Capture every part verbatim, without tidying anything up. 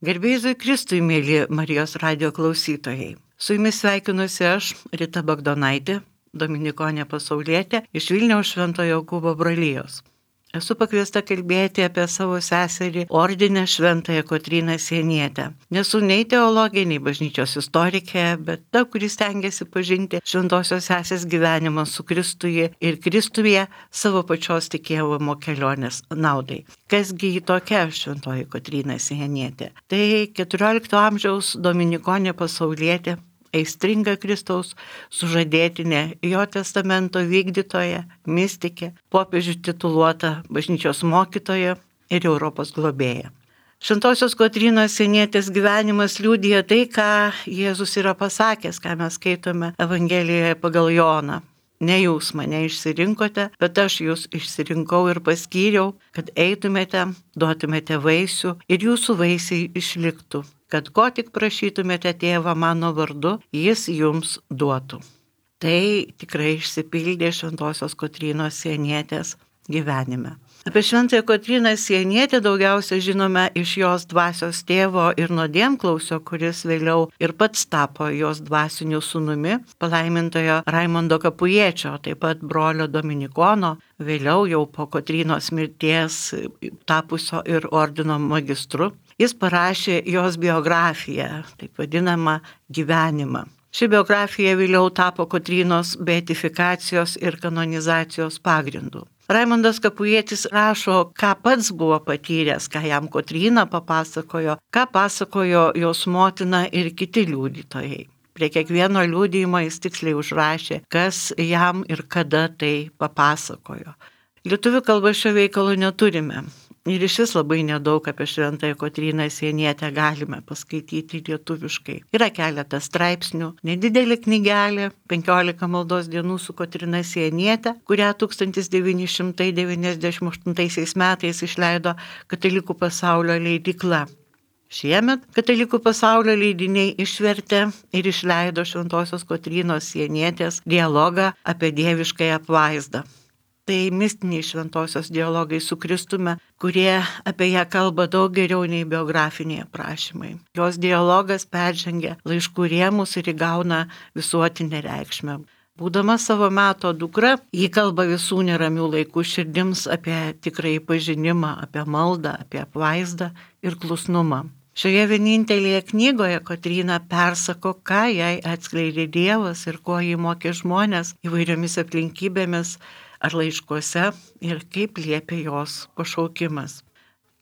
Garbė Jėzui Kristui, mėly Marijos radijo klausytojai. Su jumis sveikinuosi aš, Rita Bagdonaitė, dominikonė pasaulietė iš Vilniaus Šventojo Jokūbo brolijos. Esu pakviesta kalbėti apie savo seserį ordinę Šventąją Kotryną Sienietę. Nesu nei teologė, nei bažnyčios istorikė, bet ta, kuris stengiasi pažinti šventosios sesės gyvenimą su Kristuje ir Kristuje savo pačios tikėjimo kelionės naudai. Kasgi ji tokia Šventoji Kotryna Sienietė? Tai keturiolikto amžiaus dominikonė pasaulietė, aistringa Kristaus sužadėtinė, jo testamento vykdytoja, mistikė, popiežių tituluota bažnyčios mokytoja ir Europos globėja. Šventosios Kotrynos Sienietės gyvenimas liudija tai, ką Jėzus yra pasakęs, ką mes skaitome Evangelijoje pagal Joną. Ne jūs mane išsirinkote, bet aš jūs išsirinkau ir paskyriau, kad eitumėte, duotumėte vaisių ir jūsų vaisiai išliktų, kad ko tik prašytumėte tėvą mano vardu, jis jums duotų. Tai tikrai išsipildė Šventosios Kotrynos Sienietės gyvenime. Apie Šventąją Kotryną Sienietę daugiausia žinome iš jos dvasios tėvo ir nuodėmklausio, kuris vėliau ir pats tapo jos dvasiniu sūnumi, palaimintojo Raimondo Kapujiečio, taip pat brolio Dominikono, vėliau jau po Kotrynos mirties tapusio ir ordino magistru. Jis parašė jos biografiją, taip vadinamą gyvenimą. Ši biografija vėliau tapo Kotrynos beatifikacijos ir kanonizacijos pagrindu. Raimondas Kapujietis rašo, ką pats buvo patyręs, ką jam Kotryna papasakojo, ką pasakojo jos motina ir kiti liudytojai. Prie kiekvieno liudijimo jis tiksliai užrašė, kas jam ir kada tai papasakojo. Lietuvių kalba šio veikalo neturime. Ir iš vis labai nedaug apie Šventąją Kotryną Sienietę galime paskaityti lietuviškai. Yra keletas straipsnių, nedidelė knygelė, penkiolika maldos dienų su Kotryna Sienietė, kurią tūkstantis devyni šimtai devyniasdešimt aštuntaisiais metais išleido Katalikų pasaulio leidykla. Šiemet Katalikų pasaulio leidiniai išvertė ir išleido Šventosios Kotrynos Sienietės dialogą apie dieviškąją apvaizdą. Tai mistiniai šventosios dialogai su Kristumi, kurie apie ją kalba daug geriau nei biografiniai aprašymai. Jos dialogas peržengia laiškų rėmus ir įgauna visuotinę reikšmę. Būdama savo meto dukra, ji kalba visų neramių laikų širdims apie tikrąjį pažinimą, apie maldą, apie apvaizdą ir klusnumą. Šioje vienintelėje knygoje Kotryna persako, ką jai atskleidė Dievas ir ko jį mokė žmonės įvairiomis aplinkybėmis ar laiškuose ir kaip liepia jos pašaukimas.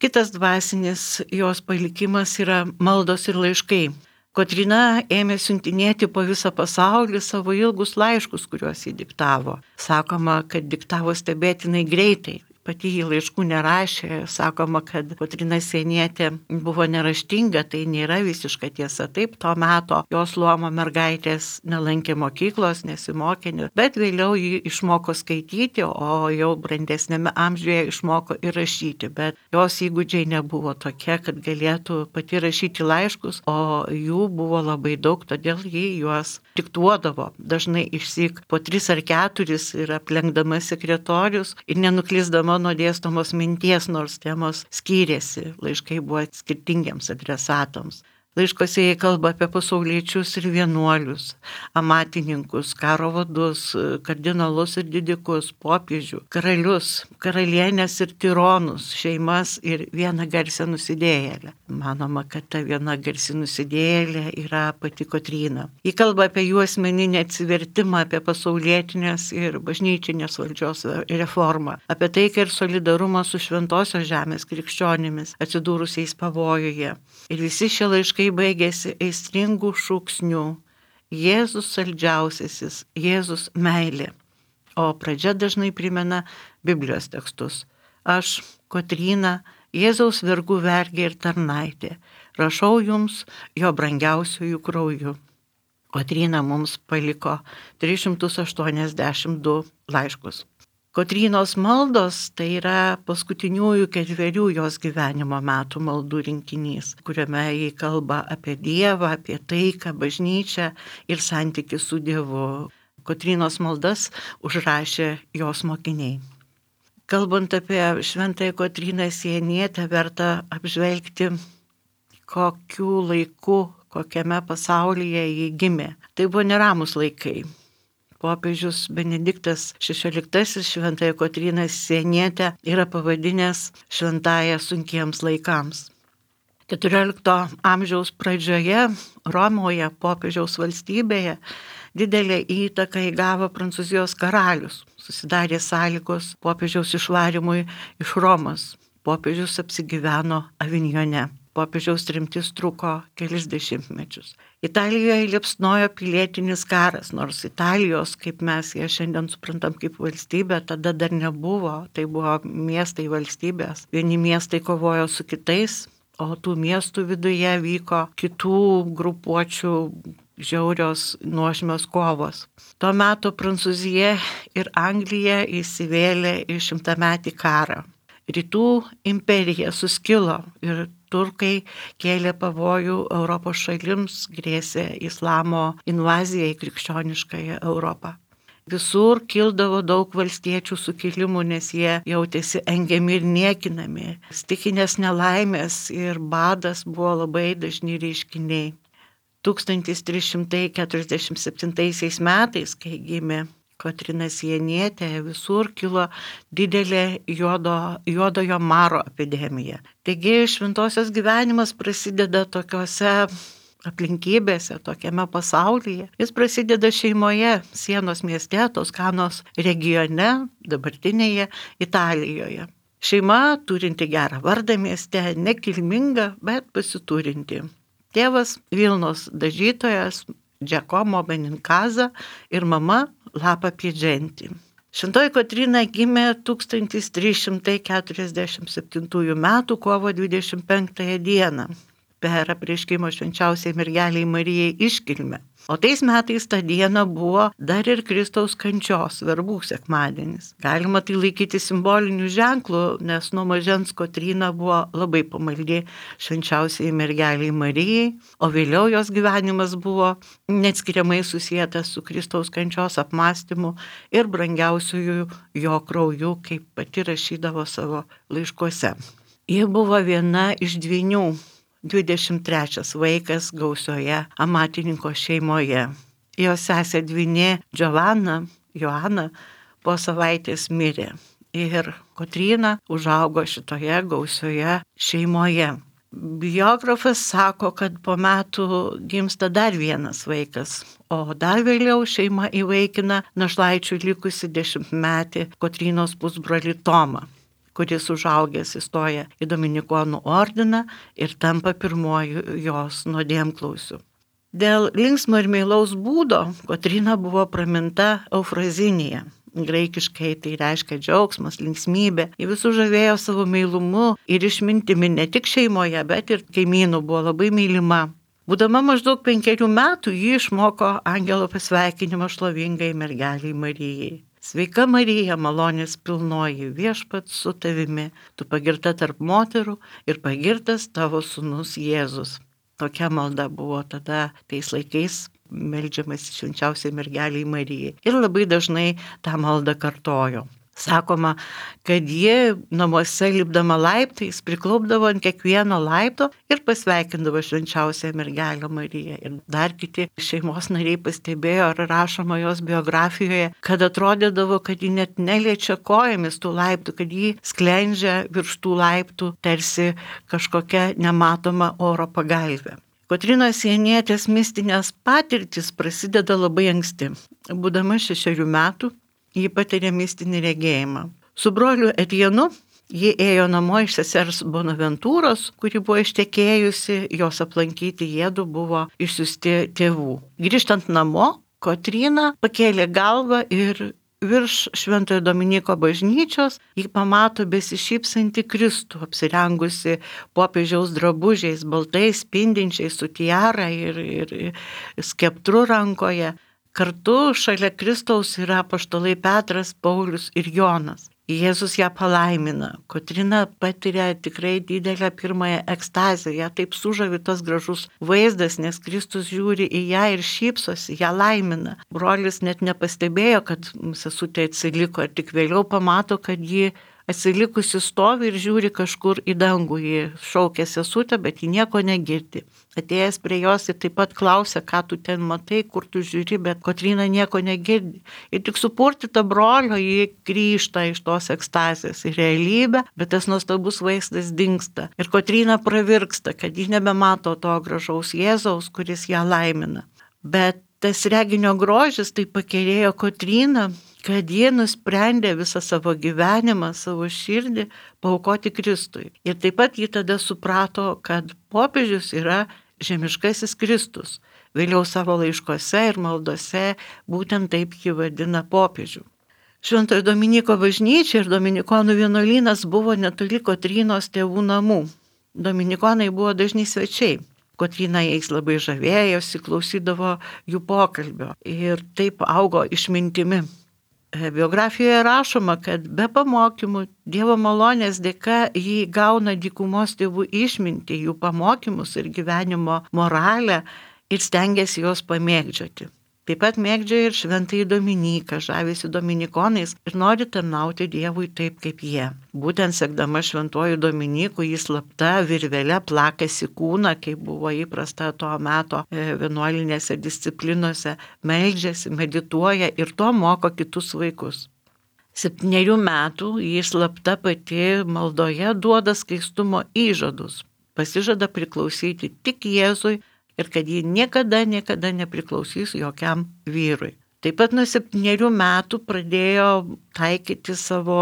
Kitas dvasinis jos palikimas yra maldos ir laiškai. Kotryna ėmė siuntinėti po visą pasaulį savo ilgus laiškus, kuriuos ji diktavo. Sakoma, kad diktavo stebėtinai greitai. Pati jį laiškų nerašė, sakoma, kad Kotryna Sienietė buvo neraštinga, tai nėra visiška tiesa. Taip, to meto jos luomo mergaitės nelankė mokyklos, nesimokė, bet vėliau ji išmoko skaityti, o jau brandesnėme amžiuje išmoko ir rašyti. Bet jos įgūdžiai nebuvo tokie, kad galėtų pati rašyti laiškus, o jų buvo labai daug, todėl ji juos diktuodavo. Dažnai išsyk po tris ar keturis ir aplenkdama sekretorius ir nenuklysdama nuo dėstomos minties, nors temos skyrėsi, laiškai buvo skirtingiems adresatams. Laiškose jie kalba apie pasauliečius ir vienuolius, amatininkus, karo vadus, kardinolus ir didikus, popiežių, karalius, karalienės ir tironus, šeimas ir vieną garsę nusidėjėlę. Manoma, kad ta viena garsi nusidėjėlė yra pati Kotryna. Ji kalba apie jų asmeninį atsivertimą, apie pasaulietinės ir bažnyčinės valdžios reformą, apie taiką ir solidarumą su šventosios žemės krikščionimis atsidūrusiais pavojuje. Ir visi šie laiškai baigėsi aistringų šūksnių: Jėzus saldžiausiasis, Jėzus meilė. O pradžia dažnai primena Biblijos tekstus. Aš, Kotryna, Jėzaus vergų vergė ir tarnaitė, rašau jums jo brangiausiųjų krauju. Kotryna mums paliko tris šimtus aštuoniasdešimt du laiškus. Kotrynos maldos tai yra paskutiniųjų ketverių jos gyvenimo metų maldų rinkinys, kuriame jį kalba apie Dievą, apie taiką, bažnyčią ir santykį su Dievu. Kotrynos maldas užrašė jos mokiniai. Kalbant apie Šventąją Kotryną Sienietę, verta apžvelgti, kokiu laiku, kokiame pasaulyje jį gimė. Tai buvo neramus laikai. Popiežius Benediktas šešioliktasis Šventąją Kotryną Sienietę yra pavadinęs šventąją sunkiems laikams. keturiolikto amžiaus pradžioje Romoje, popiežiaus valstybėje, didelę įtaką įgavo Prancūzijos karalius. Susidarė sąlygos popiežiaus išvarimui iš Romos. Popiežius apsigyveno Avignone. Popiežiaus tremtis truko kelis dešimtmečius. Italijoje liepsnojo pilietinis karas, nors Italijos, kaip mes ją šiandien suprantam kaip valstybė, tada dar nebuvo. Tai buvo miestai valstybės. Vieni miestai kovojo su kitais, o tų miestų viduje vyko kitų grupuočių žiaurios nuožmios kovos. Tuo metu Prancūzija ir Anglija įsivėlė į šimtametį karą. Rytų imperija suskilo ir turkai kėlė pavojų Europos šalims, grėsė islamo invazija į krikščioniškąją Europą. Visur kildavo daug valstiečių sukilimų, nes jie jautėsi engiami ir niekinami. Stichinės nelaimės ir badas buvo labai dažni reiškiniai. tūkstantis trys šimtai keturiasdešimt septintaisiais metais, kai gimė Kotryna Sienietė, visur kilo didelė juodo, juodojo maro epidemija. Taigi šventosios gyvenimas prasideda tokiose aplinkybėse, tokiame pasaulyje. Jis prasideda šeimoje, Sienos mieste, Toskanos regione, dabartinėje Italijoje. Šeima turinti gerą vardą mieste, nekilminga, bet pasiturinti. Tėvas Vilnos dažytojas Giacomo Beninkaza ir mama Lapa Piedženti. Šventoji Kotryna gimė tūkstantis trys šimtai keturiasdešimt septintųjų metų kovo dvidešimt penktąją dieną per apreiškimo švenčiausiai mergelei Marijai iškilmę. O tais metais tą dieną buvo dar ir Kristaus kančios verbų sekmadienis. Galima tai laikyti simboliniu ženklu, nes nuo mažens Kotryna buvo labai pamaldi švenčiausiai mergeliai Marijai, o vėliau jos gyvenimas buvo neatskiriamai susietas su Kristaus kančios apmąstymu ir brangiausiųjų jo krauju, kaip pati rašydavo savo laiškuose. Ji buvo viena iš dvynių, dvidešimt trečias vaikas gausioje amatininko šeimoje. Jos sesė dvynė Giovanna, Joana, po savaitės mirė. Ir Kotryna užaugo šitoje gausioje šeimoje. Biografas sako, kad po metų gimsta dar vienas vaikas, o dar vėliau šeima įvaikina našlaičių likusi dešimtmetį Kotrynos pusbrolį Tomą, kuris užaugęs įstoja į Dominikonų ordiną ir tampa pirmuoju jos nuodėmklausiu. Dėl linksmo ir meilaus būdo Kotryna buvo praminta Eufrazinija. Graikiškai tai reiškia džiaugsmas, linksmybė. Ji visų žavėjo savo meilumu ir išmintimi ne tik šeimoje, bet ir kaimynų buvo labai mylima. Būdama maždaug penkerių metų, ji išmoko angelo pasveikinimą šlovingai mergeliai Marijai. Sveika Marija, malonės pilnoji, viešpats su tavimi, tu pagirta tarp moterų ir pagirtas tavo sūnus Jėzus. Tokia malda buvo tada tais laikais meldžiamas švenčiausiai mergeliai Marijai. Ir labai dažnai tą maldą kartojo. Sakoma, kad ji namuose lipdama laiptais priklaupdavo ant kiekvieno laipto ir pasveikindavo švenčiausią mergelę Mariją. Ir dar kiti šeimos nariai pastebėjo ar rašoma jos biografijoje, kad atrodydavo, kad ji net neliečia kojomis tų laiptų, kad ji sklendžia virš tų laiptų tarsi kažkokia nematoma oro pagalvė. Kotrynos Sienietės mistinės patirtis prasideda labai anksti. Būdama šešerių metų, ji patiria mistinį regėjimą. Su broliu Etienu ji ėjo namo iš sesers Bonaventūros, kuri buvo ištekėjusi, jos aplankyti jiedu buvo išsiųsti tėvų. Grįžtant namo, Kotryna pakėlė galvą ir virš Šventojo Dominiko bažnyčios ji pamato besišypsantį Kristų, apsirengusi popiežiaus drabužiais, baltais spindinčiais, su tiara ir, ir skeptru rankoje. Kartu šalia Kristaus yra apaštalai Petras, Paulius ir Jonas. Jėzus ją palaimina. Kotryna patiria tikrai didelę pirmąją ekstazę. Ją taip sužavi tas gražus vaizdas, nes Kristus žiūri į ją ir šypsosi, ją laimina. Brolis net nepastebėjo, kad sesutė atsiliko ir tik vėliau pamato, kad ji atsilikusi stovi ir žiūri kažkur į dangų. Ji šaukia sesutę, bet ji nieko negirdi. Atėjęs prie jos ir taip pat klausia, ką tu ten matai, kur tu žiūri, bet Kotryna nieko negirdi. Ir tik supurtyta brolio, ji grįžta iš tos ekstazės į realybę, bet tas nuostabus vaizdas dingsta. Ir Kotryna pravirksta, kad ji nebemato to gražaus Jėzaus, kuris ją laimina. Bet tas reginio grožis tai pakerėjo Kotryną, kad jie nusprendė visą savo gyvenimą, savo širdį paaukoti Kristui. Ir taip pat jie tada suprato, kad popiežius yra žemiškasis Kristus. Vėliau savo laiškose ir maldose būtent taip jį vadina popiežių. Šventojo Dominiko bažnyčia ir dominikonų vienuolynas buvo netoli Kotrynos tėvų namų. Dominikonai buvo dažni svečiai. Kotryna jais labai žavėjosi, klausydavo jų pokalbio ir taip augo išmintimi. Biografijoje rašoma, kad be pamokymų Dievo malonės dėka jį gauna dykumos tėvų išmintį, jų pamokymus ir gyvenimo moralę ir stengiasi juos pamėgdžioti. Taip pat mėgdžioja ir šventąjį Dominiką, žavisi dominikonais ir nori tarnauti Dievui taip kaip jie. Būtent sekdama šventuoju Dominiku jis slapta virvele plakasi kūną, kaip buvo įprasta tuo meto vienuolinėse disciplinose, meldžiasi, medituoja ir to moko kitus vaikus. Septynerių metų jis slapta pati maldoje duoda skaistumo įžadus. Pasižada priklausyti tik Jėzui ir kad ji niekada, niekada nepriklausys jokiam vyrui. Taip pat nuo septynerių metų pradėjo taikyti savo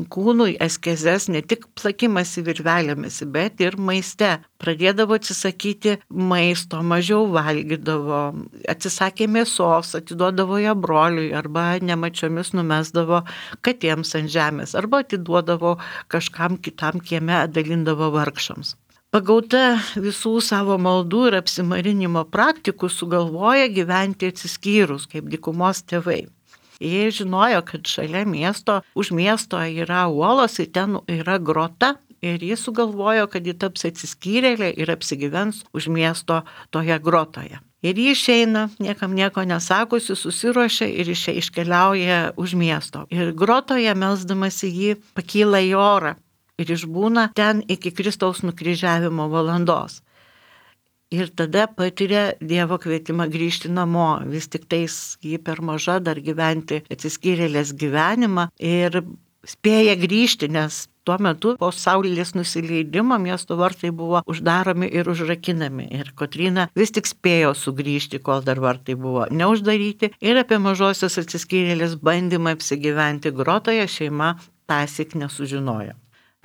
kūnui askezes, ne tik plakimasi virvelėmis, bet ir maiste. Pradėdavo atsisakyti maisto, mažiau valgydavo, atsisakė mėsos, atiduodavo ją broliui arba nemačiomis numesdavo katėms ant žemės arba atiduodavo kažkam kitam kieme, dalindavo vargšams. Pagauta visų savo maldų ir apsimarinimo praktikų sugalvoja gyventi atsiskyrus kaip dykumos tėvai. Jie žinojo, kad šalia miesto, už miesto yra uolos ir ten yra grota ir jie sugalvojo, kad jie taps atsiskyrėlė ir apsigyvens už miesto toje grotoje. Ir jie išeina, niekam nieko nesakosi, susiruošia ir iškeliauja už miesto. Ir grotoje melsdamasi jį pakyla į orą. Ir išbūna ten iki Kristaus nukryžiavimo valandos. Ir tada patiria Dievo kvietimą grįžti namo. Vis tik tais jį per maža dar gyventi atsiskyrėlės gyvenimą ir spėja grįžti, nes tuo metu po saulės nusileidimo miesto vartai buvo uždaromi ir užrakinami. Ir Kotryna vis tik spėjo sugrįžti, kol dar vartai buvo neuždaryti. Ir apie mažosios atsiskyrėlės bandymą apsigyventi grotoje šeima tąsyk nesužinojo.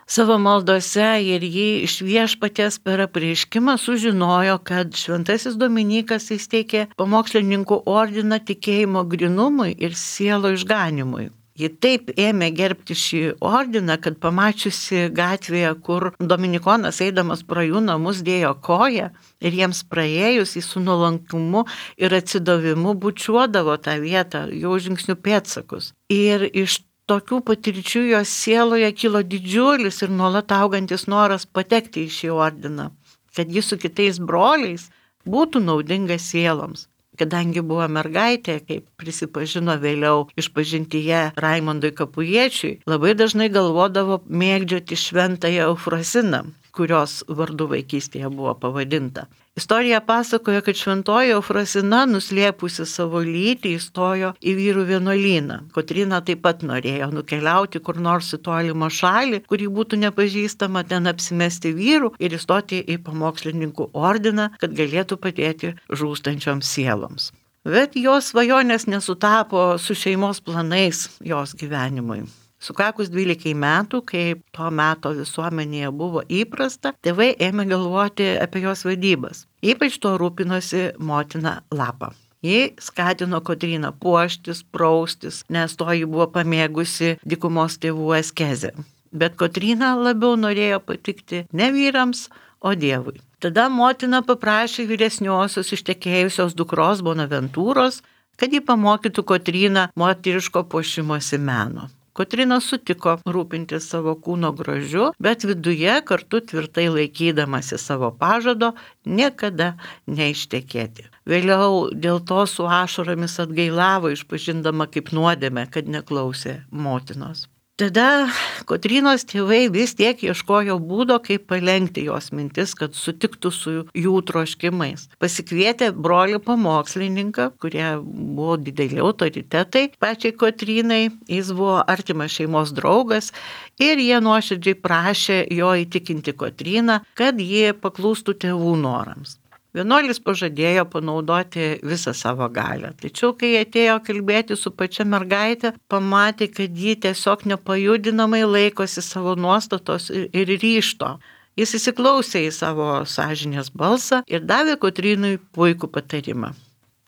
Savo maldose ir jį iš Viešpaties per apreiškimą sužinojo, kad šventasis Dominikas įsteigė pamokslininkų ordiną tikėjimo grynumui ir sielo išganimui. Ji taip ėmė gerbti šį ordiną, kad pamačiusi gatvėje, kur dominikonas eidamas pro jų namus dėjo koją ir jiems praėjus į su nuolankumu ir atsidavimu bučiuodavo tą vietą, jau žingsnių pėdsakus. Ir iš tokių patirčių jos sieloje kilo didžiulis ir nuolat augantis noras patekti į šį ordiną, kad jis su kitais broliais būtų naudingas sieloms. Kadangi buvo mergaitė, kaip prisipažino vėliau išpažintyje Raimondui Kapujiečiui, labai dažnai galvodavo mėgdžioti šventąją Eufrosiną, kurios vardu vaikystėje buvo pavadinta. Istorija pasakoja, kad šventoji Eufrosina, nuslėpusi savo lytį, įstojo į vyrų vienuolyną. Kotryna taip pat norėjo nukeliauti kur nors į tolimą šalį, kuri būtų nepažįstama, ten apsimesti vyrų ir įstoti į pamokslininkų ordiną, kad galėtų padėti žūstančioms sieloms. Bet jos svajonės nesutapo su šeimos planais jos gyvenimui. Sukakus dvylikai metų, kai to meto visuomenėje buvo įprasta, tėvai ėmė galvoti apie jos vedybas. Ypač to rūpinosi motina Lapa. Ji skatino Kotryną puoštis, praustis, nes to ji buvo pamėgusi dykumos tėvų askezę. Bet Kotryna labiau norėjo patikti ne vyrams, o Dievui. Tada motina paprašė vyresniosios ištekėjusios dukros Bonaventūros, kad ji pamokytų Kotryną moteriško puošimosi meno. Kotryna sutiko rūpintis savo kūno grožiu, bet viduje kartu tvirtai laikydamasi savo pažado niekada neištekėti. Vėliau dėl to su ašaromis atgailavo, išpažindama kaip nuodėmę, kad neklausė motinos. Tada Kotrynos tėvai vis tiek ieškojo būdo, kaip palenkti jos mintis, kad sutiktų su jų troškimais. Pasikvietė brolį pamokslininką, kurie buvo dideli autoritetai pačiai Kotrynai, jis buvo artimas šeimos draugas ir jie nuoširdžiai prašė jo įtikinti Kotryną, kad jie paklūstų tėvų norams. Vienuolis pažadėjo panaudoti visą savo galią, tačiau kai atėjo kalbėti su pačia mergaitė, pamatė, kad ji tiesiog nepajudinamai laikosi savo nuostatos ir ryžto. Jis įsiklausė į savo sąžinės balsą ir davė Kotrynui puikų patarimą.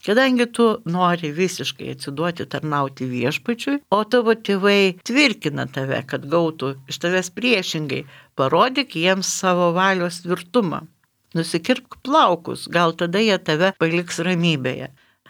Kadangi tu nori visiškai atsiduoti tarnauti viešpačiui, o tavo tėvai tvirkina tave, kad gautų iš tavęs priešingai, parodyk jiems savo valios tvirtumą. Nusikirpk plaukus, gal tada jie tave paliks ramybėje.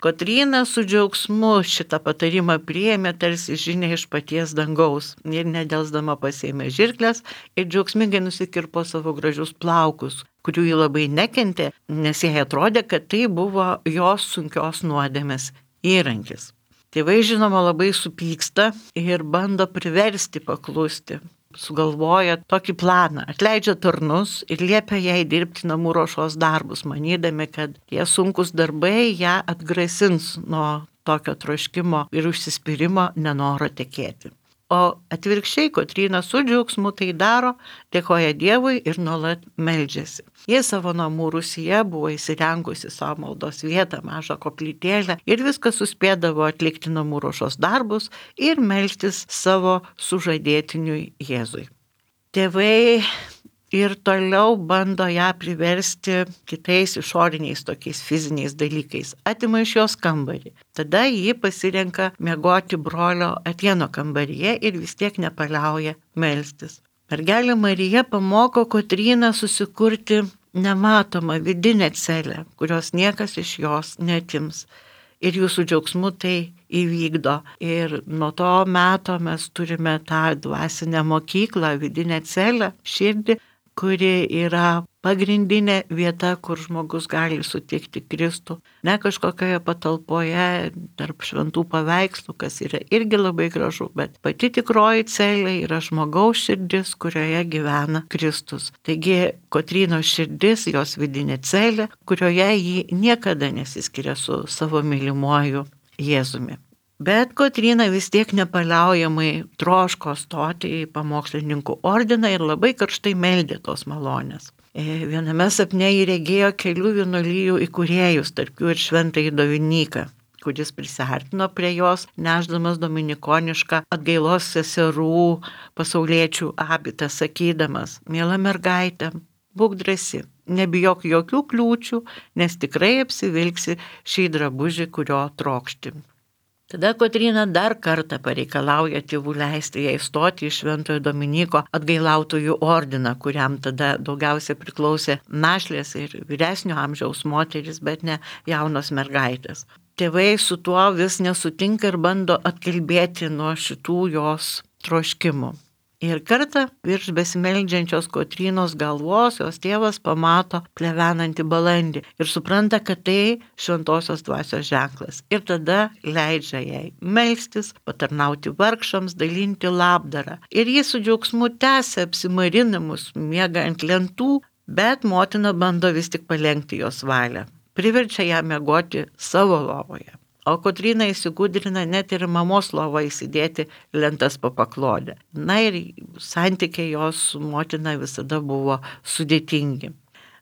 Kotryna su džiaugsmu šitą patarimą priėmė tarsi žinia iš paties dangaus ir nedelsdama pasiėmė žirkles ir džiaugsmingai nusikirpo savo gražius plaukus, kurių ji labai nekentė, nes jai atrodė, kad tai buvo jos sunkios nuodėmės įrankis. Tėvai žinoma labai supyksta ir bando priversti paklusti. Sugalvoja tokį planą, atleidžia tarnus ir liepia jai dirbti namų ruošos darbus, manydami, kad tie sunkus darbai ją atgrasins nuo tokio troškimo ir užsispyrimo nenoro tekėti. O atvirkščiai Kotryna su džiaugsmu tai daro, dėkoja Dievui ir nuolat meldžiasi. Jie savo namų rūsyje buvo įsirengusi savo maldos vietą, mažą koplytėlę ir viską suspėdavo atlikti namų ruošos darbus ir melstis savo sužadėtiniui Jėzui. Tėvai ir toliau bando ją priversti kitais išoriniais tokiais fiziniais dalykais. Atima iš jos kambarį. Tada ji pasirenka miegoti brolio Atieno kambaryje ir vis tiek nepaliauja melstis. Mergelė Marija pamoko Kotryną susikurti nematomą vidinę celę, kurios niekas iš jos neatims. Ir jūsų džiaugsmu tai įvykdo. Ir nuo to meto mes turime tą dvasinę mokyklą, vidinę celę, širdį, kuri yra pagrindinė vieta, kur žmogus gali sutikti Kristų. Ne kažkokioje patalpoje tarp šventų paveikslų, kas yra irgi labai gražu, bet pati tikroji celė yra žmogaus širdis, kurioje gyvena Kristus. Taigi Kotrynos širdis, jos vidinė celė, kurioje ji niekada nesiskiria su savo mylimuoju Jėzumi. Bet Kotryna vis tiek nepaliaujamai troško stoti į pamokslininkų ordiną ir labai karštai meldė tos malonės. Viename sapne jį regėjo kelių vienuolijų įkūrėjus, tarp jų ir šventąjį Dominyką, kuris prisiartino prie jos, nešdamas dominikonišką atgailos seserų pasauliečių abitą, sakydamas: miela mergaitė, būk drąsi, nebijok jokių kliūčių, nes tikrai apsivilksi šį drabužį, kurio trokšti. Tada Kotryna dar kartą pareikalauja tėvų leisti jai stoti į šventojo Dominyko atgailautojų ordiną, kuriam tada daugiausia priklausė našlės ir vyresnio amžiaus moteris, bet ne jaunos mergaitės. Tėvai su tuo vis nesutinka ir bando atkalbėti nuo šitų jos troškimų. Ir kartą virš besimeldžiančios Kotrynos galvos jos tėvas pamato plevenantį balandį ir supranta, kad tai šventosios dvasios ženklas. Ir tada leidžia jai melstis, patarnauti vargšams, dalinti labdarą. Ir jis su džiaugsmu tęsia apsimarinamus, miega ant lentų, bet motina bando vis tik palenkti jos valią. Priverčia ją miegoti savo lovoje. O Kotryna įsigudrina net ir mamos lovą įsidėti lentas po paklodę. Na ir santykiai jos su motina visada buvo sudėtingi.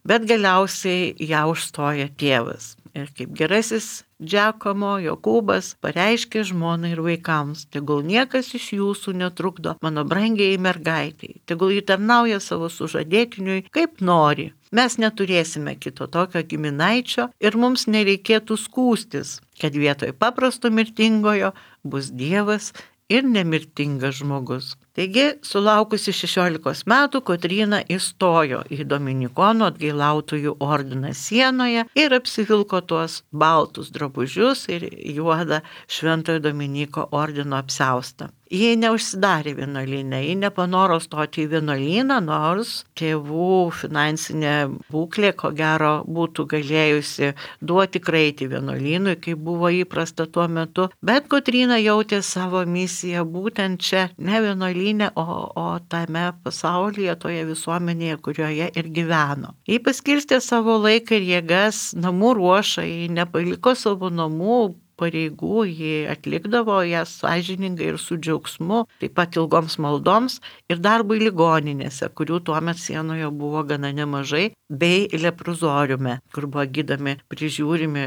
Bet galiausiai ją užstoja tėvas. Ir kaip gerasis Džiakomo Jokūbas pareiškė žmonai ir vaikams: tegul niekas iš jūsų netrukdo mano brangiai mergaitiai, tegul ji tarnauja savo sužadėtiniui kaip nori. Mes neturėsime kito tokio giminaičio ir mums nereikėtų skųstis, kad vietoj paprasto mirtingojo bus Dievas ir nemirtingas žmogus. Taigi, sulaukusi šešiolikos metų, Kotryna įstojo į Dominikonų atgailautojų ordiną Sienoje ir apsivilko tuos baltus drabužius ir juodą šventojo Dominiko ordino apsiaustą. Ji neužsidarė vienuolyne, ji nepanoro stoti į vienuolyną, nors tėvų finansinė būklė, ko gero, būtų galėjusi duoti kraitį vienuolynui, kaip buvo įprasta tuo metu. Bet Kotryna jautė savo misiją būtent čia, ne vienuolyne, vienuolyne, o, o tame pasaulyje, toje visuomenėje, kurioje ir gyveno. Ji paskirstė savo laiką ir jėgas namų ruošai, nepaliko savo namų pareigų, ji atlikdavo jas sąžiningai ir su džiaugsmu, taip pat ilgoms maldoms ir darbui ligoninėse, kurių tuomet sienoje buvo gana nemažai, bei leprozoriume, kur buvo gydomi, prižiūrimi,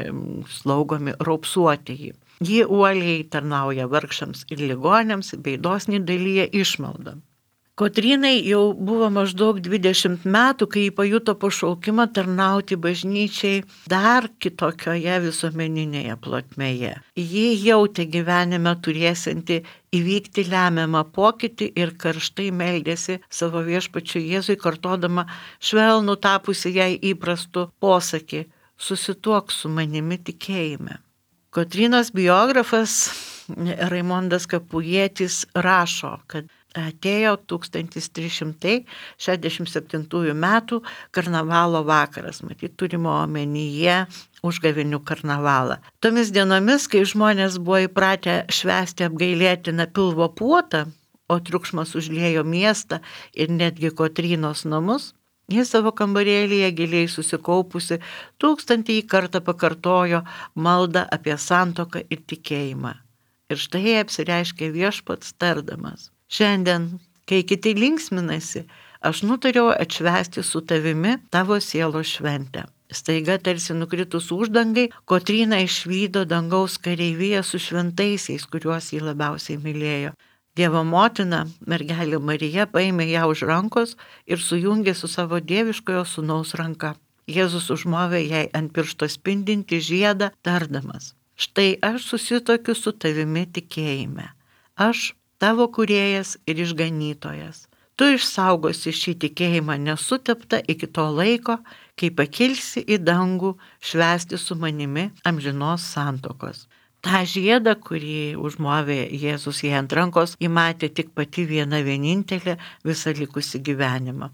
slaugomi raupsuotieji. Ji uoliai tarnauja vargšams ir ligoniams, bei dosniai dalyja išmaldą. Kotrynai jau buvo maždaug dvidešimt metų, kai ji pajuto pašaukimą tarnauti bažnyčiai dar kitokioje visuomeninėje plotmėje. Ji jautė gyvenime turėsianti įvykti lemiamą pokytį ir karštai meldėsi savo viešpačiui Jėzui, kartodama švelnų tapusi jai įprastų posakį: susituok su manimi tikėjime. Kotrynos biografas Raimondas Kapujietis rašo, kad atėjo tūkstantis trys šimtai šešiasdešimt septintųjų metų karnavalo vakaras, matyt, turimo omenyje užgavėnių karnavalą. Tomis dienomis, kai žmonės buvo įpratę švęsti apgailėtiną pilvo puotą, o triukšmas užliejo miestą ir netgi Kotrynos namus, ji savo kambarėlyje giliai susikaupusi tūkstantį kartą pakartojo maldą apie santuoką ir tikėjimą. Ir štai apsireiškė viešpats tardamas: šiandien, kai kiti linksminasi, aš nutariau atšvęsti su tavimi tavo sielos šventę. Staiga, tarsi nukritus uždangai, Kotryna išvydo dangaus kareiviją su šventaisiais, kuriuos jį labiausiai mylėjo. Dievo motina, mergelė Marija, paėmė ją už rankos ir sujungė su savo dieviškojo sūnaus ranka. Jėzus užmovė jai ant piršto spindinti žiedą, tardamas: štai aš susitokiu su tavimi tikėjime. Aš tavo kūrėjas ir išganytojas. Tu išsaugosi šį tikėjimą nesuteptą iki to laiko, kai pakilsi į dangų švęsti su manimi amžinos santuokos. Ta žiedą, kurį užmovė Jėzus jai ant rankos, ji matė tik pati viena vienintelė visą likusį gyvenimą.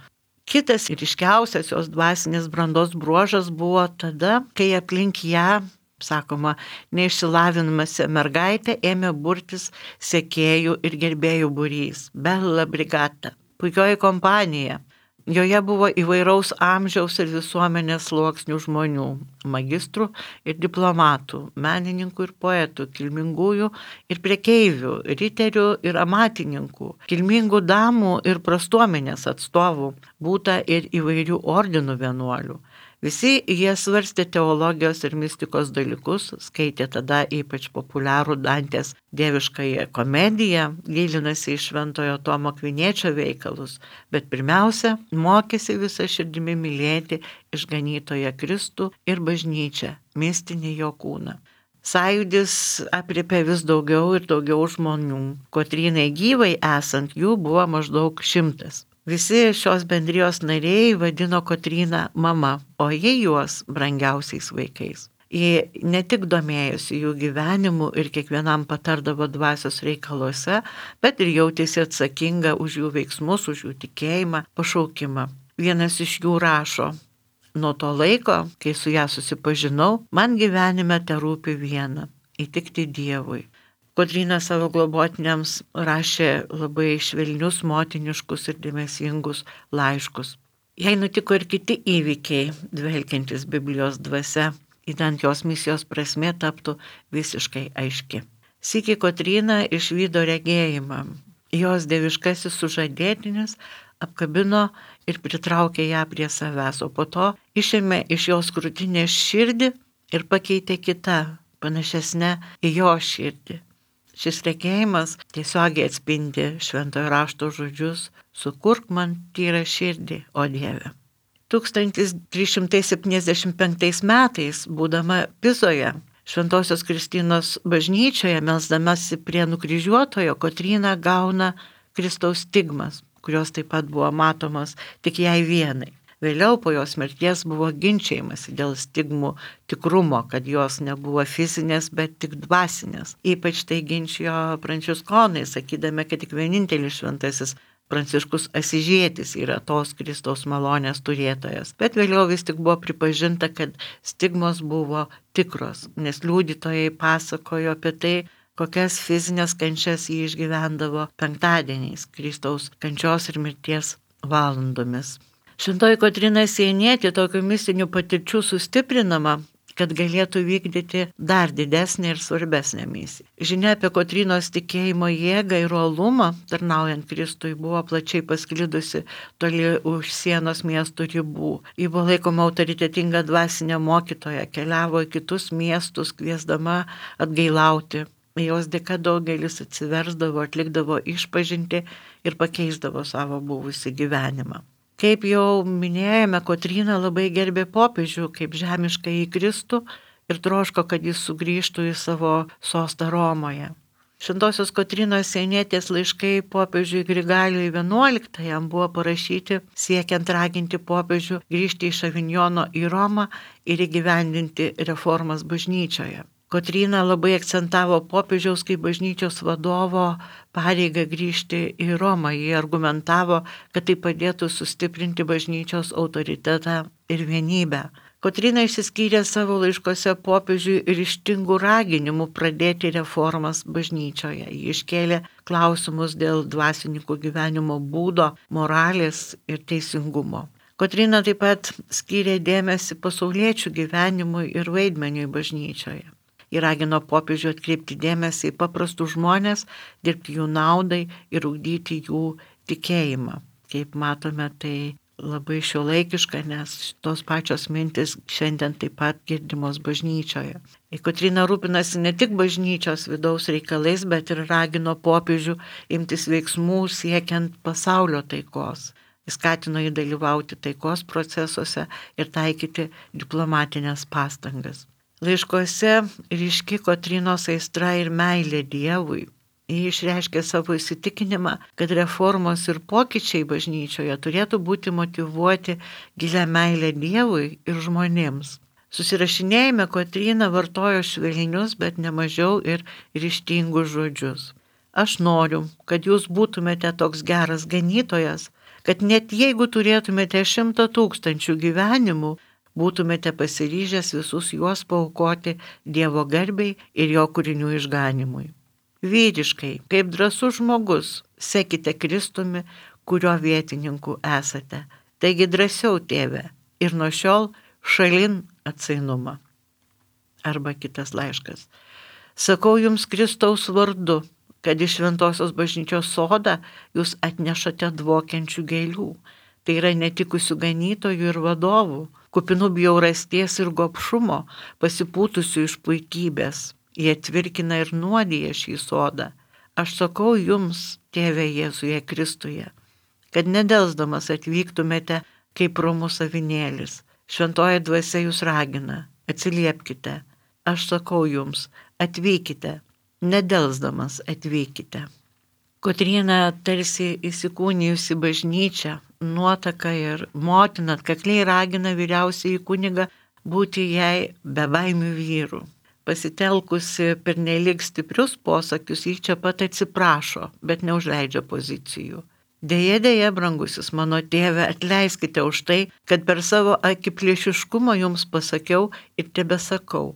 Kitas ir ryškiausias jos dvasinės brandos bruožas buvo tada, kai aplink ją, sakoma, neišsilavinusi mergaitė ėmė burtis sekėjų ir gerbėjų būrys, Bella Brigata, puikioji kompanija. Joje buvo įvairaus amžiaus ir visuomenės sluoksnių žmonių, magistrų ir diplomatų, menininkų ir poetų, kilmingųjų ir prekeivių, riterių ir amatininkų, kilmingų damų ir prastuomenės atstovų, būta ir įvairių ordinų vienuolių. Visi jie svarstė teologijos ir mistikos dalykus, skaitė tada ypač populiarų Dantės dieviškąją komediją, gilinasi į Šventojo Tomo Akviniečio veikalus, bet pirmiausia, mokėsi visą širdimi mylėti išganytoją Kristų ir bažnyčią, mistinį jo kūną. Sąjūdis aprėpė vis daugiau ir daugiau žmonių. Kotrynai gyvai esant jų buvo maždaug šimtas. Visi šios bendrijos nariai vadino Kotryną mama, o jie juos brangiausiais vaikais. Ji ne tik domėjosi jų gyvenimu ir kiekvienam patardavo dvasios reikaluose, bet ir jautėsi atsakinga už jų veiksmus, už jų tikėjimą, pašaukimą. Vienas iš jų rašo: nuo to laiko, kai su ją susipažinau, man gyvenime terūpi viena – įtikti Dievui. Kotryna savo globotiniams rašė labai švelnius, motiniškus ir dėmesingus laiškus. Jai nutiko ir kiti įvykiai, dvelkiantis Biblijos dvasia, idant jos misijos prasmė taptų visiškai aiški. Sykį Kotryna išvydo regėjimą. Jos dieviškasis sužadėtinis apkabino ir pritraukė ją prie savęs, o po to išėmė iš jos krūtinės širdį ir pakeitė kitą, panašesnę į jo širdį. Šis regėjimas tiesiogiai atspindi Šventojo rašto žodžius: sukurk man tyrą širdį, o Dieve. tūkstantis trys šimtai septyniasdešimt penktais metais, būdama Pizoje, Šventosios Kristinos bažnyčioje, melsdamasi prie nukryžiuotojo, Kotryna gauna Kristaus stigmas, kurios taip pat buvo matomos tik jai vienai. Vėliau po jos mirties buvo ginčiamasi dėl stigmų tikrumo, kad jos nebuvo fizinės, bet tik dvasinės. Ypač tai ginčijo pranciškonai, sakydami, kad tik vienintelis šventasis Pranciškus Asyžietis yra tos Kristaus malonės turėtojas. Bet vėliau vis tik buvo pripažinta, kad stigmos buvo tikros, nes liudytojai pasakojo apie tai, kokias fizinės kančias jį išgyvendavo penktadieniais, Kristaus kančios ir mirties valandomis. Šventoji Kotryna Sienietė tokių mistinių patirčių sustiprinama, kad galėtų vykdyti dar didesnį ir svarbesnę misiją. Žinia apie Kotrynos tikėjimo jėgą ir uolumą, tarnaujant Kristui, buvo plačiai pasklidusi toli už sienos miestų ribų. Ji buvo laikoma autoritetinga dvasinė mokytoja, keliavo į kitus miestus, kviesdama atgailauti. Jos dėka daugelis atsiversdavo, atlikdavo išpažintį ir pakeisdavo savo buvusį gyvenimą. Kaip jau minėjome, Kotryna labai gerbė popiežių kaip žemišką į Kristų ir troško, kad jis sugrįžtų į savo sostą Romoje. Šventosios Kotrynos Sienietės laiškai popiežiui Grigalijui vienuoliktajam buvo parašyti siekiant raginti popiežių grįžti iš Avinjono į Romą ir įgyvendinti reformas bažnyčioje. Kotryna labai akcentavo popiežiaus kaip bažnyčios vadovo pareigą grįžti į Romą. Jie argumentavo, kad tai padėtų sustiprinti bažnyčios autoritetą ir vienybę. Kotryna išsiskyrė savo laiškose popiežiui ryžtingų raginimų pradėti reformas bažnyčioje. Ji iškėlė klausimus dėl dvasininkų gyvenimo būdo, moralės ir teisingumo. Kotryna taip pat skyrė dėmesį pasauliečių gyvenimui ir vaidmeniui bažnyčioje. Ji ragino popiežių atkreipti dėmesį į paprastus žmonės, dirbti jų naudai ir ugdyti jų tikėjimą. Kaip matome, tai labai šiuolaikiška, nes tos pačios mintis šiandien taip pat girdimos bažnyčioje. Kotryna rūpinasi ne tik bažnyčios vidaus reikalais, bet ir ragino popiežių imtis veiksmų siekiant pasaulio taikos. Jis skatino jį dalyvauti taikos procesuose ir taikyti diplomatinės pastangas. Laiškuose ryški Kotrynos aistra ir meilė Dievui. Ji išreiškė savo įsitikinimą, kad reformos ir pokyčiai bažnyčioje turėtų būti motyvuoti gilią meilę Dievui ir žmonėms. Susirašinėjime Kotryna vartojo švelnius, bet nemažiau ir ryžtingus žodžius. Aš noriu, kad jūs būtumėte toks geras ganytojas, kad net jeigu turėtumėte šimtą tūkstančių gyvenimų, būtumėte pasiryžęs visus juos paaukoti Dievo garbei ir jo kūrinių išganimui. Vyriškai, kaip drąsus žmogus, sekite Kristumi, kurio vietininku esate. Taigi drąsiau, tėve, ir nuo šiol šalin atsainumą. Arba kitas laiškas. Sakau jums Kristaus vardu, kad iš šventosios bažnyčios sodą jūs atnešate dvokiančių gėlių. Tai yra netikusių ganytojų ir vadovų, kupinų bjaurasties ir gobšumo, pasipūtusių iš puikybės. Jie tvirkina ir nuodija šį sodą. Aš sakau jums, tėve Jėzuje Kristuje, kad nedelsdamas atvyktumėte kaip romus avinėlis. Šventoji dvasia jūs ragina, atsiliepkite. Aš sakau jums, atvykite, nedelsdamas atvykite. Kotryna tarsi įsikūnijusi bažnyčią, nuotaka ir motina atkakliai ragina vyriausiąjį kunigą būti jai bebaimių vyrų. Pasitelkusi pernelyg stiprius posakius, ji čia pat atsiprašo, bet neužleidžia pozicijų. Deja, deja, brangusis mano tėve, atleiskite už tai, kad per savo akiplėšiškumą jums pasakiau ir tebesakau.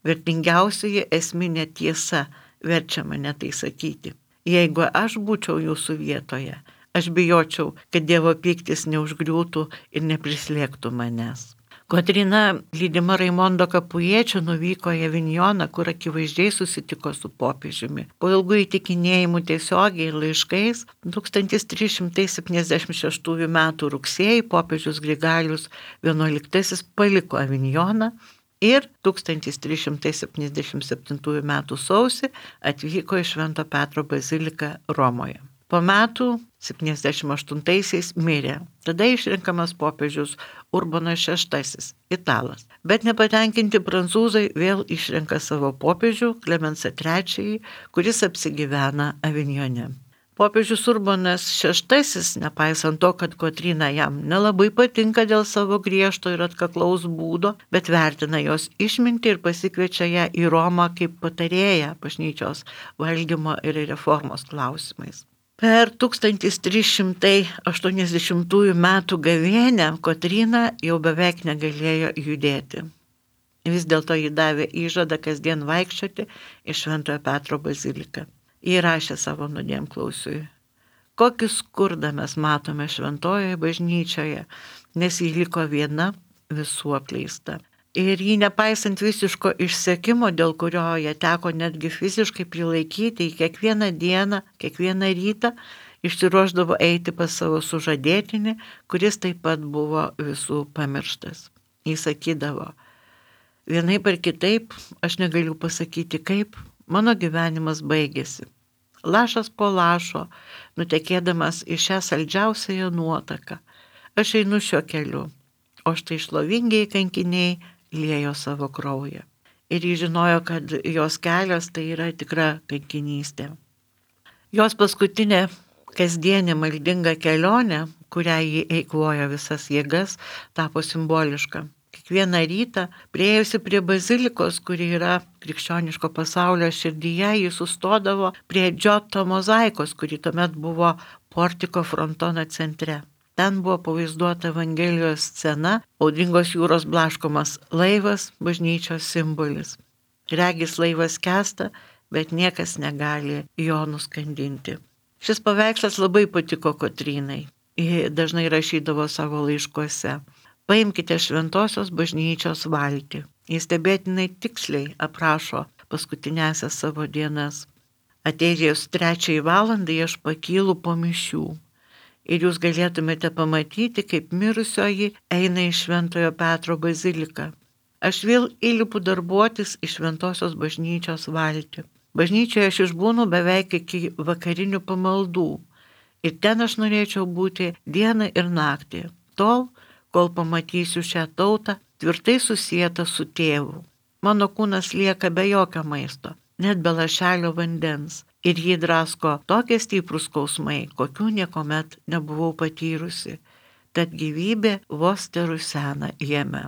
Vertingiausioji esminė tiesa verčia mane tai sakyti. Jeigu aš būčiau jūsų vietoje, aš bijočiau, kad Dievo pyktis neužgriūtų ir neprislėgtų manęs. Kotryna, lydima Raimondo Kapujiečio, nuvyko į Avinjoną, kur akivaizdžiai susitiko su popiežiumi. Po ilgų įtikinėjimų tiesiogiai ir laiškais, tūkstantis trys šimtai septyniasdešimt šeštųjų metų rugsėjį popiežius Grigalijus vienuoliktasis paliko Avinjoną ir tūkstantis trys šimtai septyniasdešimt septintųjų metų sausį atvyko į Švento Petro baziliką Romoje. Po metų septyniasdešimt aštuntaisiais mirė. Tada išrinkamas popiežius Urbonas šeštasis, italas. Bet nepatenkinti prancūzai vėl išrenka savo popiežių Klemensą trečiąjį, kuris apsigyvena Avinjone. Popiežius Urbonas šeštasis, nepaisant to, kad Kotryna jam nelabai patinka dėl savo griežto ir atkaklaus būdo, bet vertina jos išmintį ir pasikviečia ją į Romą kaip patarėją bažnyčios valdymo ir reformos klausimais. Per tūkstantis trys šimtai aštuoniasdešimtųjų metų gavėnią Kotryna jau beveik negalėjo judėti. Vis dėlto ji davė įžadą kasdien vaikščioti į Šventojo Petro baziliką. Ji rašė savo nuodėmklausiui: kokį skurdą mes matome šventojoje bažnyčioje, nes ji liko viena, visų apleista. Ir jį nepaisant visiško išsekimo, dėl kurio ją teko netgi fiziškai prilaikyti, į kiekvieną dieną, kiekvieną rytą išsiruošdavo eiti pas savo sužadėtinį, kuris taip pat buvo visų pamirštas. Jis sakydavo: vienaip ar kitaip, aš negaliu pasakyti kaip, mano gyvenimas baigėsi. Lašas po lašo, nutekėdamas į šią saldžiausiąją nuotaką, aš einu šiuo keliu, o štai šlovingiai kankiniai liejo savo kraują. Ir jis žinojo, kad jos kelias tai yra tikra kankinystė. Jos paskutinė kasdienė maldinga kelionė, kurią ji eikvojo visas jėgas, tapo simboliška. Kiekvieną rytą, priėjusi prie bazilikos, kuri yra krikščioniško pasaulio širdyje, ji sustodavo prie Džioto mozaikos, kuri tuomet buvo portiko frontono centre. Ten buvo pavaizduota Evangelijos scena, audringos jūros blaškomas laivas, bažnyčios simbolis. Regis laivas skęsta, bet niekas negali jo nuskandinti. Šis paveikslas labai patiko Kotrynai. Ji dažnai rašydavo savo laiškuose: paimkite šventosios bažnyčios valtį. Jis stebėtinai tiksliai aprašo paskutinėsias savo dienas. Atėjus trečiai valandai aš pakylu po mišių. Ir jūs galėtumėte pamatyti, kaip mirusioji eina į Šventojo Petro baziliką. Aš vėl įlipu darbuotis į šventosios bažnyčios valtį. Bažnyčioje aš išbūnu beveik iki vakarinių pamaldų. Ir ten aš norėčiau būti dieną ir naktį, tol, kol pamatysiu šią tautą tvirtai susietą su tėvu. Mano kūnas lieka be jokio maisto, net be lašelio vandens, ir jį drasko tokie stiprūs skausmai, kokių niekuomet nebuvau patyrusi, tad gyvybė vos terusena jame.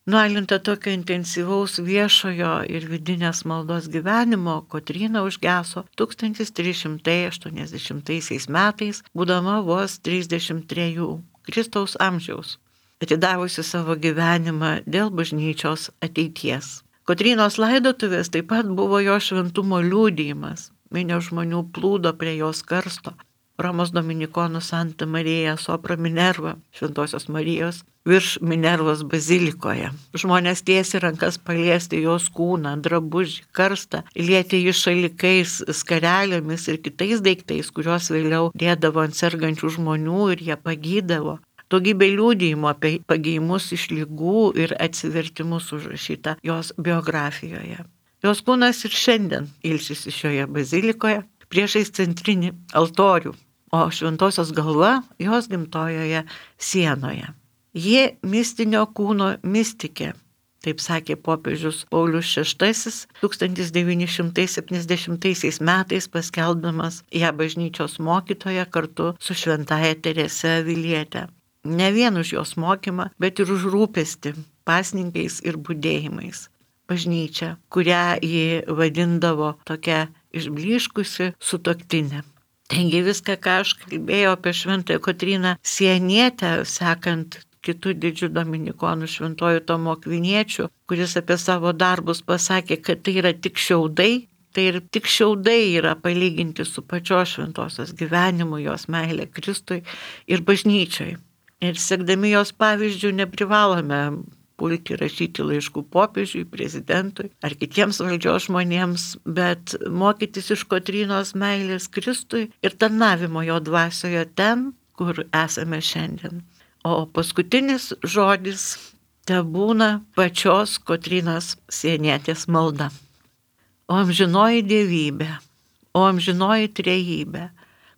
Nualinta tokio intensyvaus viešojo ir vidinės maldos gyvenimo, Kotryna užgeso tūkstantis trys šimtai aštuoniasdešimtaisiais metais, būdama vos trisdešimt trejų, Kristaus amžiaus, atidavusi savo gyvenimą dėl bažnyčios ateities. Kotrynos laidotuvės taip pat buvo jo šventumo liudijimas. Minios žmonių plūdo prie jos karsto. Romos dominikonų Santa Marija Sopra Minerva, Šventosios Marijos, virš Minervos bazilikoje. Žmonės tiesi rankas paliesti jos kūną, drabužį, karstą, lieti jį šalikais, skarelėmis ir kitais daiktais, kuriuos vėliau dėdavo ant sergančių žmonių ir jie pagydavo. Daugybė liudijimų apie pagyjimus iš ligų ir atsivertimus užrašyta jos biografijoje. Jos kūnas ir šiandien ilsisi šioje bazilikoje priešais centrinį altorių, o šventosios galva jos gimtojoje sienoje. Ji mistinio kūno mistikė, taip sakė popiežius Paulius šeštasis tūkstantis devyni šimtai septyniasdešimtaisiais metais paskelbdamas ją bažnyčios mokytoją kartu su šventaja Terese Aviliete. Ne vien už jos mokymą, bet ir už rūpestį pasninkais ir budėjimais. Bažnyčia, kurią ji vadindavo tokia išblyškusi sutuoktinė. Taigi viską, ką aš kalbėjau apie šventąją Kotryną Sienietę, sekant kitų didžių dominikonų šventojų Tomo Akviniečių, kuris apie savo darbus pasakė, kad tai yra tik šiaudai, tai ir tik šiaudai yra palyginti su pačios šventosios gyvenimu, jos meilė Kristui ir bažnyčiai. Ir sekdami jos pavyzdžių neprivalome pulti rašyti laiškų popiežiui, prezidentui ar kitiems valdžios žmonėms, bet mokytis iš Kotrynos meilės Kristui ir tarnavimo jo dvasioje ten, kur esame šiandien. O paskutinis žodis tebūna pačios Kotrynos Sienietės malda. O amžinoji dievybė, o amžinoji trejybė,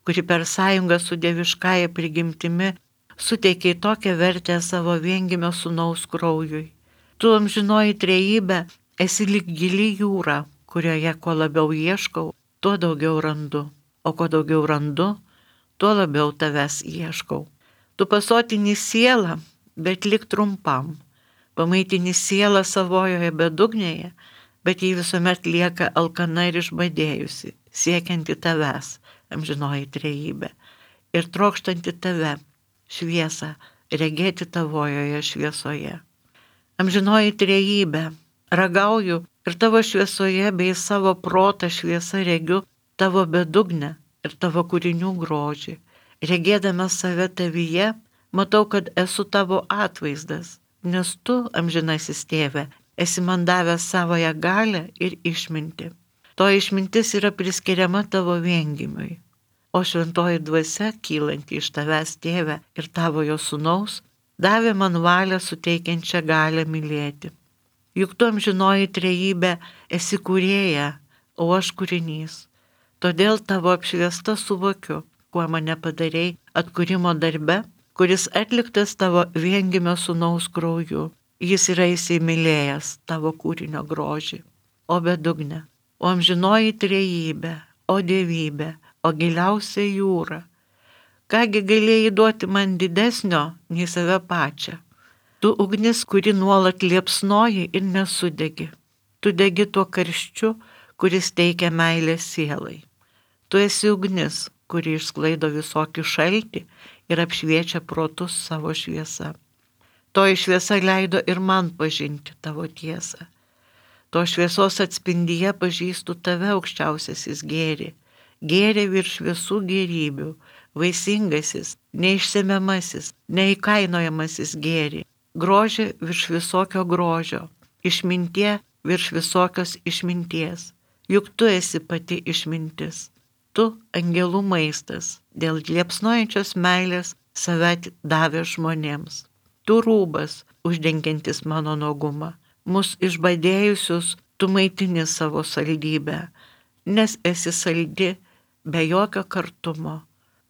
kuri per sąjungą su dieviškąja prigimtimi suteikė tokią vertę savo viengimio sūnaus kraujui. Tu amžinoji trejybė esi lyg gili jūra, kurioje kuo labiau ieškau, tuo daugiau randu, o kuo daugiau randu, tuo labiau tavęs ieškau. Tu pasotini sielą, bet lik trumpam, pamaitini sielą savojoje bedugnėje, bet jį visuomet lieka alkana ir išbadėjusi, siekianti tavęs, amžinoji trejybė, ir trokštanti tave, šviesą, regėti tavojoje šviesoje. Amžinoji trejybė, Ragauju ir tavo šviesoje bei savo protą šviesa regiu tavo bedugnę ir tavo kūrinių grožį. Regėdamas save tavyje, matau, kad esu tavo atvaizdas, nes tu, amžinasis tėve, esi man davęs savoją galę ir išmintį. To išmintis yra priskiriama tavo viengimiui. O šventoji dvasia, kylanti iš tavęs tėve ir tavo jo sūnaus, davė man valią suteikiančią galę mylėti. Juk tu amžinoji trejybė esi kūrėja, o aš kūrinys. Todėl tavo apšviesta suvokiu, kuo mane padarei atkūrimo darbe, kuris atliktas tavo viengimio sūnaus krauju. Jis yra įsimylėjęs tavo kūrinio grožį. O bedugne, o amžinoji trejybė, o dievybė, o giliausia jūra. Kągi galėjai duoti man didesnio nei save pačią? Tu ugnis, kuri nuolat liepsnoji ir nesudegi. Tu degi tuo karščiu, kuris teikia meilę sielai. Tu esi ugnis, kuri išsklaido visokį šaltį ir apšviečia protus savo šviesa. Toji šviesa leido ir man pažinti tavo tiesą. To šviesos atspindyje pažįstu tave, aukščiausiasis gėri. Gėrė virš visų gėrybių, vaisingasis, neišsemiamasis, neįkainojamasis gėri. Grožį virš visokio grožio, išmintie virš visokios išminties. Juk tu esi pati išmintis. Tu angelų maistas, dėl liepsnojančios meilės save davė žmonėms. Tu rūbas, uždengiantis mano nuogumą. Mus išbadėjusius tu maitini savo saldybę, nes esi saldi be jokio kartumo,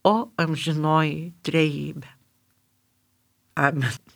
o amžinoji trejybė. Amen.